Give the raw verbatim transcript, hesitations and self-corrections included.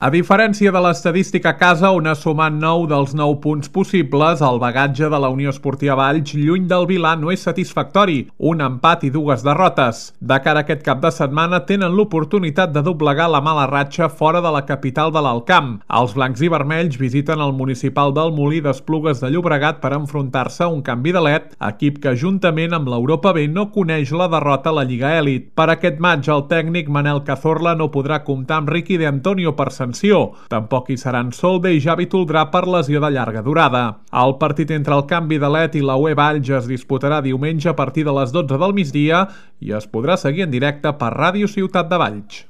A diferència de l'estadística a casa, on ha sumat nou dels nou punts possibles, el bagatge de la Unió Esportiva Valls, lluny del Vilà, no és satisfactori. Un empat i dues derrotes. De cara a aquest cap de setmana, tenen l'oportunitat de doblegar la mala ratxa fora de la capital de l'Alt Camp. Els blancs i vermells visiten el municipal del Molí d'Esplugues de Llobregat per enfrontar-se a un canvi de led, equip que juntament amb l'Europa B no coneix la derrota a la Lliga Elit. Per aquest maig, el tècnic Manel Cazorla no podrà comptar amb Ricky de Antonio per sanció. Tampoc hi seran Solde i Javi Toldrà per lesió de llarga durada. El partit entre el canvi de led i la U E Valls es disputarà diumenge a partir de les dotze del migdia i es podrà seguir en directe per Ràdio Ciutat de Valls.